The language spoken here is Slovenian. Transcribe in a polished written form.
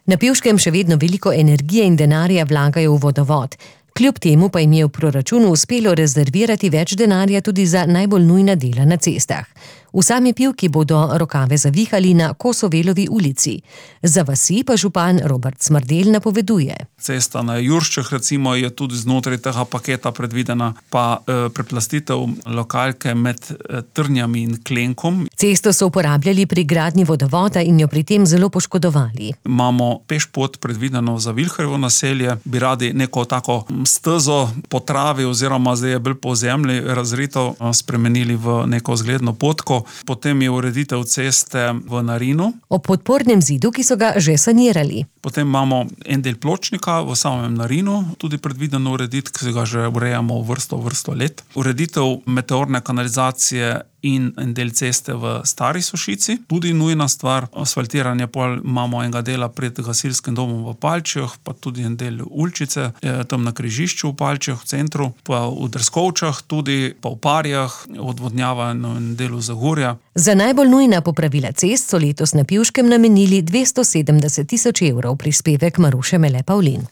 Na Pivškem še vedno veliko energije in denarja vlagajo v vodovod. Kljub temu pa jim je v proračunu uspelo rezervirati več denarja tudi za najbolj nujna dela na cestah. V sami Pivki bodo rokave zavihali na Kosovelovi ulici. Za vasi pa župan Robert Smrdelj napoveduje. Cesta na Jurščah recimo je tudi znotraj tega paketa predvidena, pa preplastitev lokalke med Trnjami in Klenkom. Cesto so uporabljali pri gradnji vodovoda in jo pri tem zelo poškodovali. Imamo pešpot predvideno za Vilharjevo naselje, bi radi neko tako stezo po travi oziroma zdaj je bolj po zemlji razrito spremenili v neko zgledno potko. Potem je ureditev ceste v Narinu. O podpornem zidu, ki so ga že sanirali. Potem imamo en del pločnika v samem Narinu, tudi predvideno urediti, ki ga že urejamo vrsto let. Ureditev meteorne kanalizacije in en del ceste v Stari Sošici, tudi nujna stvar. Asfaltiranje pol imamo enega dela pred gasilskim domom v Palčjah, pa tudi en del Ulčice, tam na križišču v Palčjah, v centru, pa v Drskovčah tudi, pa v Parjah, odvodnjavanje in delu Zagorja. Za najbolj nujna popravila cest so letos na Pivškem namenili 270 000 evrov, prispevek Maruše Mele Pavlin.